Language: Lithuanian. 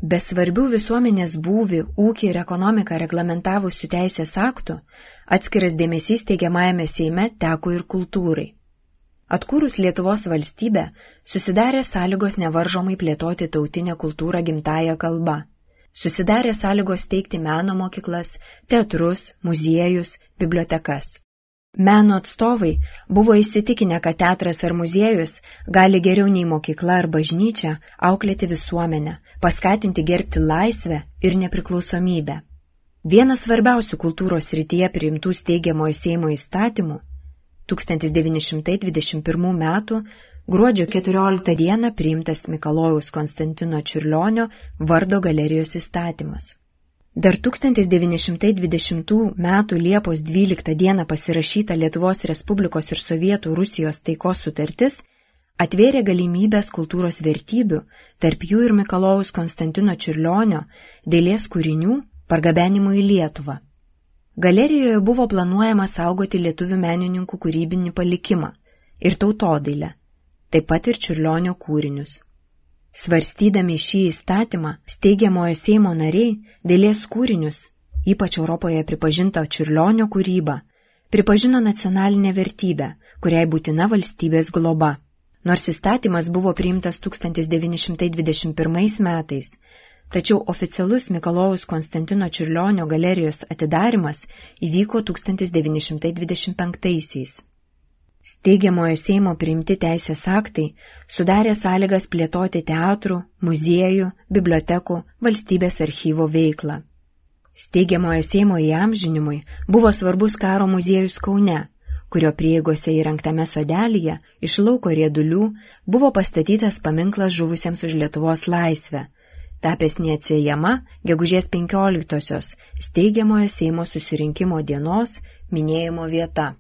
Be svarbių visuomenės būvį, ūkį ir ekonomiką reglamentavusių teisės aktų, atskiras dėmesys teigiamajame Seime teko ir kultūrai. Atkūrus Lietuvos valstybę, susidarė sąlygos nevaržomai plėtoti tautinę kultūrą gimtąja kalba. Susidarė sąlygos steigti meno mokyklas, teatrus, muziejus, bibliotekas. Meno atstovai buvo įsitikinę, kad teatras ar muziejus gali geriau nei mokykla ar bažnyčia auklėti visuomenę, paskatinti gerbti laisvę ir nepriklausomybę. Vienas svarbiausių kultūros srityje priimtų steigiamojo Seimo įstatymų 1921 metų gruodžio 14 dieną priimtas Mikalojaus Konstantino Čiurlionio vardo galerijos įstatymas. Dar 1920 metų Liepos 12 dieną pasirašyta Lietuvos Respublikos ir Sovietų Rusijos taikos sutartis atvėrė galimybės kultūros vertybių, tarp jų ir Mikalojaus Konstantino Čiurlionio dailės kūrinių pargabenimų į Lietuvą. Galerijoje buvo planuojama saugoti lietuvių menininkų kūrybinį palikimą ir tautodailę, taip pat ir Čiurlionio kūrinius. Svarstydami šį įstatymą, steigiamojo Seimo nariai dailės kūrinius, ypač Europoje pripažinta Čiurlionio kūryba, pripažino nacionalinę vertybę, kuriai būtina valstybės globa. Nors įstatymas buvo priimtas 1921 metais, tačiau oficialus Mikalojaus Konstantino Čiurlionio galerijos atidarimas įvyko 1925-aisiais. Steigiamojo Seimo priimti teisės aktai sudarė sąlygas plėtoti teatrų, muziejų, bibliotekų, valstybės archyvo veiklą. Steigiamojo Seimo įamžinimui buvo svarbus karo muziejus Kaune, kurio prieigose įrengtame sodelyje iš lauko riedulių buvo pastatytas paminklas žuvusiems už Lietuvos laisvę, tapęs neatsiejama gegužės 15-osios steigiamojo Seimo susirinkimo dienos minėjimo vieta.